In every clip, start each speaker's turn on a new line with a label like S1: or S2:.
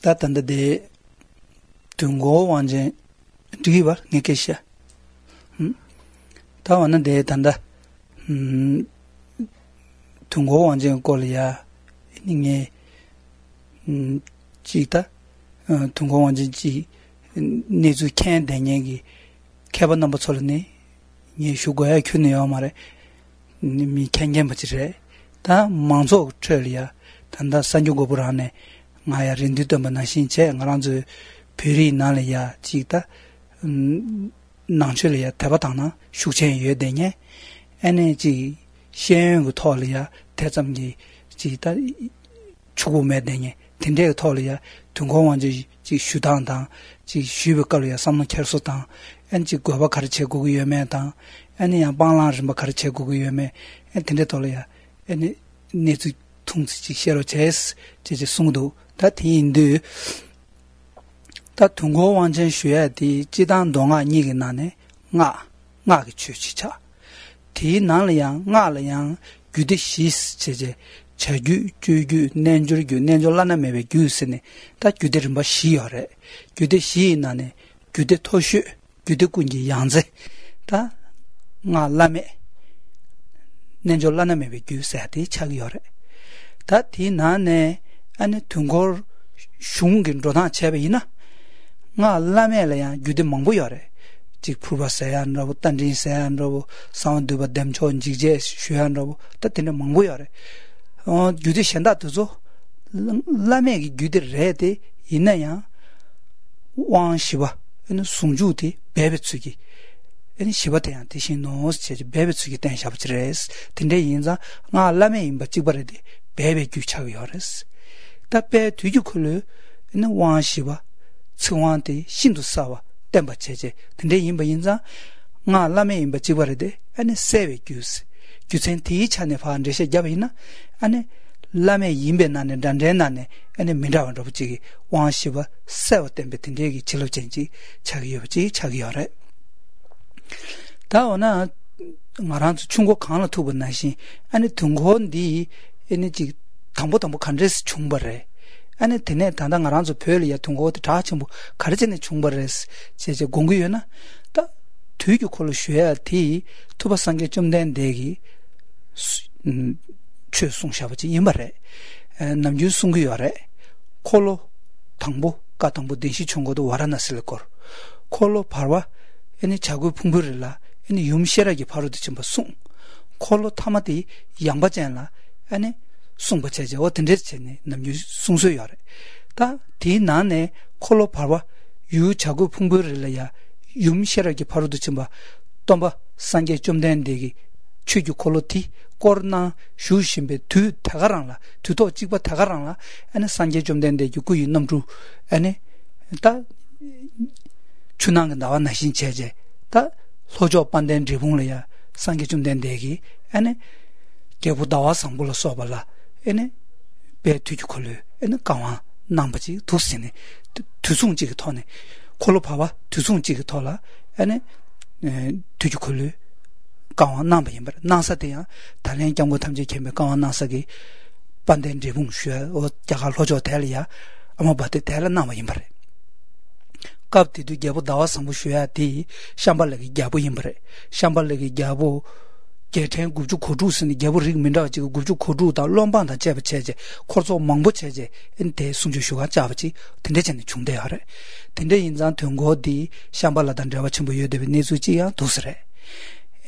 S1: 다 단데 둥고 완전 뒤바 네케샤 다 왔는데 단다 둥고 완전 꼴이야 이게 지다 둥고 완전 지 내주 캔 되냐기 캐번 넘버 솔네 예 슈고야 큐네요 말에 미 캔겐 버지래 다 망조 처리야 단다 산주고부라네 마야 린디도 만나신체 나랑저 별이 나려야 지다 난처리야 대바당나 슈첸 예되냐 에너지 시행고 토리야 대점기 지다 추고매 되냐 된대 토리야 동공원지 지 슈당당 지 슈베걸이야 삼는 켈소당 엔지 고바 가르치고 유매당 아니야 방랑을 뭐 가르치고 유매 엔데 토리야 에네 네지 통지 셔로 제스 제제 송도 다 티인데 다 동고 완전学的 지단 동아 니게 나네 나게 취치차 티 나려야 나려야 규데 시스 제제 자규 주규 nenjur규 nenjol라나 메베 규스네 다 규데를 뭐 시여래 규데 시 나네 규데 토슈 규데 군지 양제 다 나라메 nenjol라나 메베 규스야데 차기여래 다 티나네 아니 둥골 슝긴 로나 체베이나 나라메래야 규데 망보여래 직 프로바세안라고 단진세안라고 사운드바 뎀촌 지제 슈안라고 따티네 망보여래 규데 현다도죠 라메기 규데 레데 이나야 왕시바 이 송주디 베베츠기 이 시바테야 대신 노스 제 베베츠기 댄샤브트레스 근데 인자 나 라메 임바 찍버레데 베베 규차요레스 답베 뒤주콜르 이 왕시바 청wan데 신도사와 땜바체제 근데 임바 인자 나 라메 임바 찍버레데 아니 세베 규스 규센티 차네 파안데세 잡이나 아니 라메 임베나네 단데나네 아니 민다원도 붙이기 왕시바 세워 땜베틴데기 질로젠지 자기여지 자기여래 다오나 말한주 중국 강로 투분나시 아니 등혼디 에너지 담보담보 간레스 중벌해 아니 되네 단당 알아서 별이야 통고도 다 전부 가르치는 중벌에서 제제 공부요나 다 되게 콜로 쉬어야지 투바상게 좀 된 대기 최송샤버지 이말에 남주 송구요래 콜로 당보 가당보 대시 총고도 와라났을 걸 콜로 바와 애니 자구 풍부를라 애니 юм시라기 바로 듣지 뭐송 콜로 타마디 양바잖아 아니 송버체제 어떤 데체네 남주 송소요래 다 디나네 콜로 바와 유 자구 풍부를라야 юм시라기 바로 듣지 뭐 또뭐 상게 좀 된 대기 최규 콜로티 코로나 슈심베 두 타가랑라 두도 찍바 타가랑라 아니 상게 좀 된데 유구 넘루 아니 다 준항 나왔나 신체제 다 소조 반된 지붕을야 상게 좀 된데기 아니 개부 나와 상불로 써발라 아니 배 뒤주 콜로 아니 강화 남바지 두스네 두송지가 터네 콜로 봐봐 두송지가 터라 아니 뒤주 콜로 강화 남바임바 나사대야 달랭 경고 탐지 캠에 강화 나사기 반된 지붕 쉬어 어 자갈 로조 대리야 아마 바데 대라 남바임바 갑티도 개부 다와 상부 쉬어야디 샴발레기 개부임바 샴발레기 개부 개텐 구주 코주스니 개부 릭민다 지고 구주 코주다 롬반다 제베체제 코르소 망보체제 엔테 숨주슈가 잡지 된대전에 중대하래 된대 인장 통고디 샴발라단 잡아 첨부 여대비 내수지야 도스래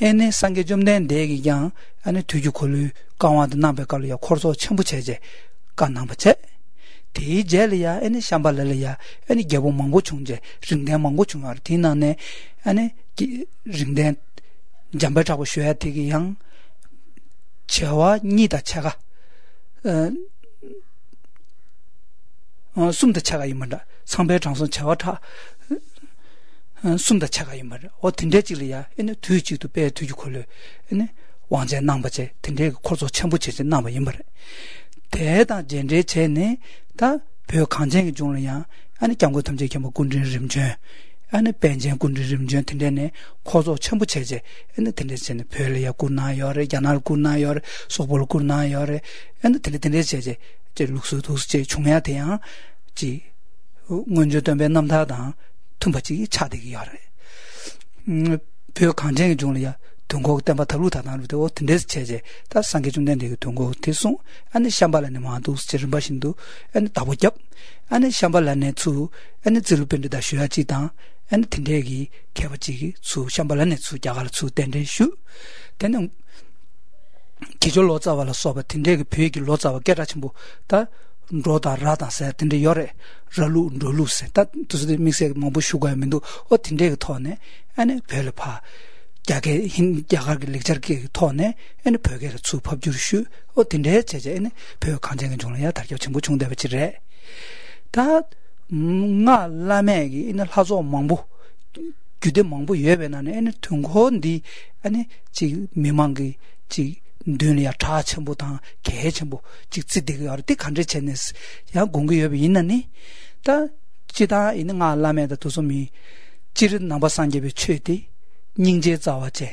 S1: 에네 상게 좀 된 대기양 아니 뒤주콜루 강화도 남백걸이야 코르소 첨부체제 간남버체 대젤이야 에네 샴발레야 에네 개보 망고 중제 링대 망고 중아 디나네 아니 링대 잠바타고 쉬어야 되기양 저와 니다 차가 숨다 차가 임다 상배 장선 저와타 숨다 차가 임다 어딘데지리야 에네 뒤지도 배 뒤지 콜려 에네 왕제 남바제 딘데 콜소 첨부체제 남바 임다 대다 젠제 체네 다벼 강쟁이 중이야 아니 경고 탐제 겸 군진 림제 아니 벤젠 군진 림제 딘데네 코조 첨부체제 에네 딘데제네 별이야 군나요레 야날 군나요레 소볼 군나요레 에네 딘데제제 제 룩스 도스제 중해야 돼야 지 먼저 덤베 남다다 tumbachi 차대기 하래 표 강쟁이 중이야 동고 때마 탈루다나루도 어떤데스 체제 다 상계 좀 된데 동고 대송 아니 샴발라네 마도 스처럼 바신도 아니 다보잡 아니 샴발라네 주 아니 질pen다 쉬야지다 아니 틴데기 개버지기 주 샴발라네 주 자갈 주 된데슈 되는 기존 로자발라 소바 틴데기 표기 로자와 깨라침부 다 로다 라다세 틴데 요레 라루 롤루세 다 두스데 믹세 뭐부 슈가면도 어 틴데기 토네 아니 벨파 자게 힘 자가게 렉처게 토네 아니 벽에서 수법 주슈 어 틴데 제제네 벽 간쟁은 종이야 다겨 전부 중대버지래 다nga 라메기 이날 하조 망부 규대 망부 예배나네 아니 통혼디 아니 지 미망기 지 dünya ta chenbu ta ge chenbu ji zi de ge de kan zhe chen ne ya gong ge ye yin ne ta ji da yin nga la me da du su mi ji ren na ba san ge be chue de ning je za wa je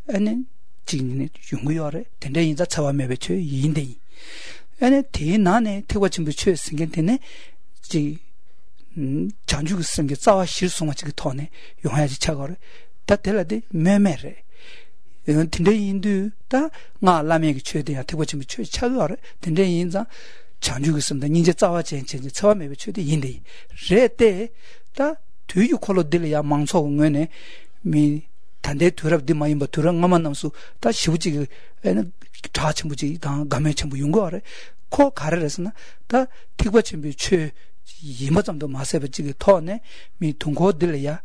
S1: ane ji ne yung ge re den de yin za cha wa me be chue yin de ane de na ne te wa chen bu chue sing ge de ne ji 장 ju ge sing ge za wa xi su ma ji ge to ne yong ya ji cha ge ta de la de me me re 이건 딘데인도 다 nga 라메기 최대야 대보침 최 차거래 딘데인자 장주고 있습니다. 이제 자와 전체 처음에 최대 인데 레때 다 뒤유 콜로들이야 망초응원에 미 단대 두럽디 마이 뭐 두랑 가만 남수 다 시부지 에는 자침부지 다 감에 전부 용거래 코 가르래서나 다 대보침 최 이모점도 마세버지 토네 미 동고들이야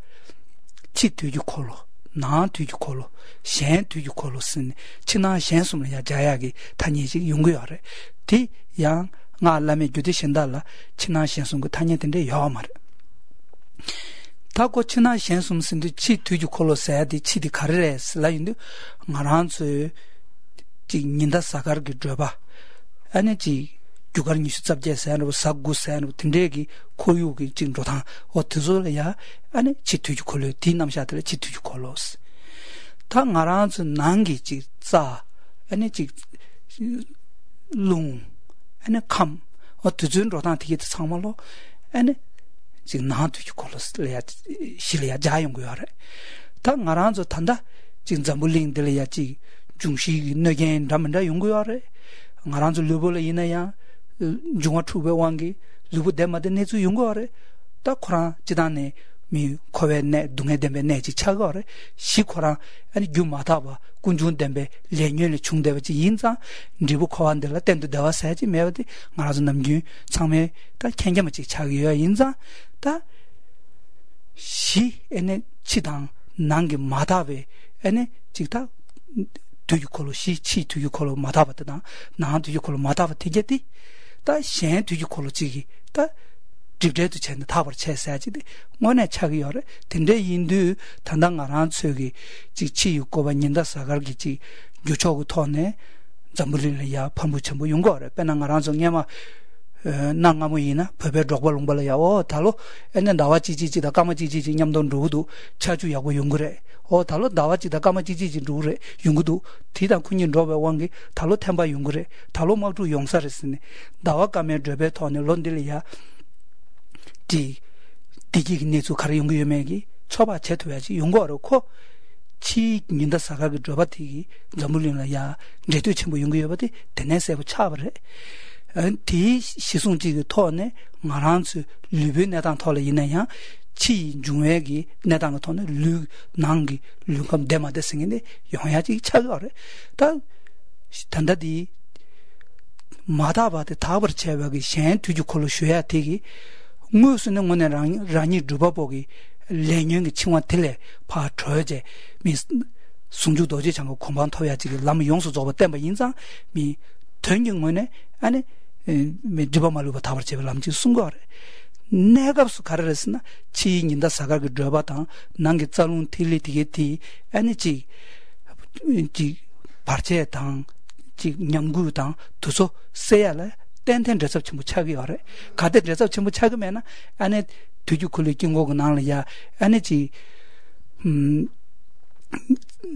S1: 치 뒤유 콜로 나 뒤주콜로 셴 뒤주콜로 쓴 지나 셴숨이야 자야기 타니지 용거야래 디양 나라메 규디 신달라 지나 셴숨 그 타니던데 야말 타고 지나 셴숨 쓴디 치 뒤주콜로 사야디 치디 카르레스 라인도 나란스 지 닌다 사가르기 줘봐 아니지 주가르니 수잡제사는 사구사는 딘데기 고유기 진로다 어트솔이야 아니 지투주콜로 디남샤들 지투주콜로스 다 나라즈 난기지 자 아니 지룽 아니 캄 어트준로다 되게 상말로 아니 지 나투주콜로스 레야 실이야 자용고야래 다 나라즈 탄다 진 잠불링들이야 지 중시 너겐 담는다 용고야래 나라즈 르볼에 이나야 중화 투베 왕기 루부 데마데 네주 용거래 다 코라 지단에 미 코베네 둥에데베 네지 차거래 시코라 아니 규마다바 군준데베 레뉴에 중대버지 인자 리부 코안들라 땐도 다와사지 메어디 말아서 남기 참에 다 캥게마지 차기야 인자 다시 에네 치당 난게 마다베 에네 직다 두유콜로 시치 두유콜로 마다바다 나 두유콜로 마다바 되겠디 다 셴 뒤주콜로 지기 다 집제도 챘는데 답을 채서야지 뭐네 차기 열에 근데 인도 단당가란 속이 지치 육고바 닌다 사갈기지 유초고 토네 잠불이야 판부첨부 용거래 빼나가란 정에마 나가모이나 법에 적발롱발이야 달로 에네 나와지지지다 까마지지지 냠돈 루도 차주야고 용거래 달로 나와지다 까마지지지 루래 용구도 디다 군인 로베 왕기 달로 템바 용거래 달로 마주 용사랬으네 나와 까메 드베 토네 론딜이야 디기 네주 가르 용구 요매기 쳐봐 제도야지 용거로고 치 닌다 사가기 드바티기 잠불이야 제도 첨부 용구 요바디 데네세고 차버래 디 시송지 토네 마란스 르베 내당 토래 이내야 치 중외기 내당 토네 르 난기 르감 데마데 생인데 영야지 차거래 다 단다디 마다바데 다버 제벽이 셴 뒤주콜로 쉬어야 되기 무슨 원에 라니 두바보기 레년의 칭원 틀레 파 저제 미 송주도지 장고 공방 토야지 람 용수 저버 때문에 인상 미 전경문에 아니 미드바말로바 타버체벨 남지 순거래 내가스 가르랬으나 치인다 사가그 드바당 난게 짤운 틸리티게티 아니지 지 파르체당 지 냠구당 두소 세야래 땡땡 드섭 전부 차기어래 가데 드섭 전부 차기면은 안에 뒤죽콜리 낀거고 나려야 아니지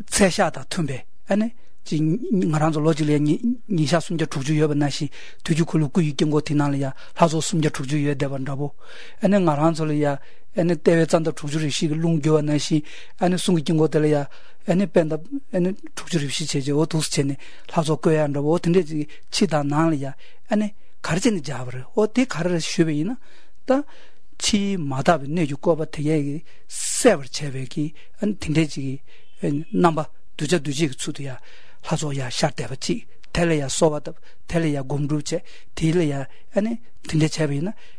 S1: 세샤다 툼베 아니 ngaranzo logile ni sha sumja tuju yoba nashi tuju khulu ku yikengo tinal ya hazo sumja tuju ye deban rabo ene ngaranzo ya ene tewe chanda tuju ri shi lungyo nashi ene sungi kingo tele ya ene penda ene tuju ri shi cheje o dos chene hazo ko ya rabo tinde ji chida nal ya ene 가르치는 잡으러 어디 가르를 쉬베이나 다 치 마다 내주 거바 되게 세버 체베기 안 딩대지기 넘버 두지 수도야 하조야 샤대버지 텔레야 소바다 텔레야 곰루체 딜레야 아니 딩대 체베이나